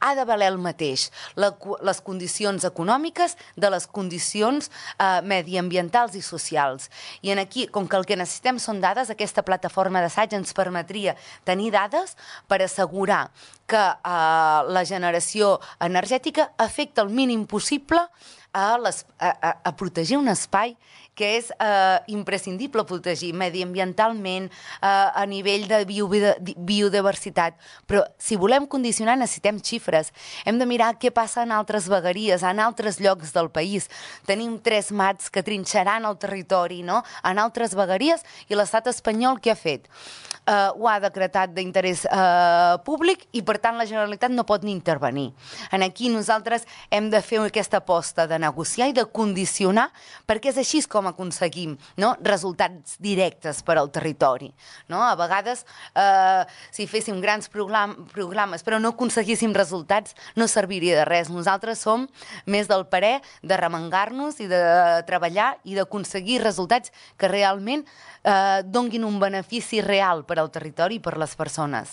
ha de valer el mateix, les condicions econòmiques de les condicions mediambientals i socials. I aquí, com que el que necessitem són dades, aquesta plataforma d'assaig ens permetria tenir dades per assegurar que la generació energètica afecta el mínim possible a protegir un espai que és imprescindible protegir mediambientalment, a nivell de biodiversitat. Però si volem condicionar necessitem xifres. Hem de mirar què passa en altres vegueries, en altres llocs del país. Tenim 3 mats que trinxaran el territori, no?, en altres vegueries, i l'estat espanyol què ha fet? Ho ha decretat d'interès públic i, per tant, la Generalitat no pot ni intervenir. Aquí nosaltres hem de fer aquesta aposta de negociar i de condicionar, perquè és així com aconseguim, no?, resultats directes per al territori. No? A vegades, si féssim grans programes però no aconseguíssim resultats, no serviria de res. Nosaltres som més del parer de remengar-nos i de treballar i d'aconseguir resultats que realment donguin un benefici real per al territori i per les persones.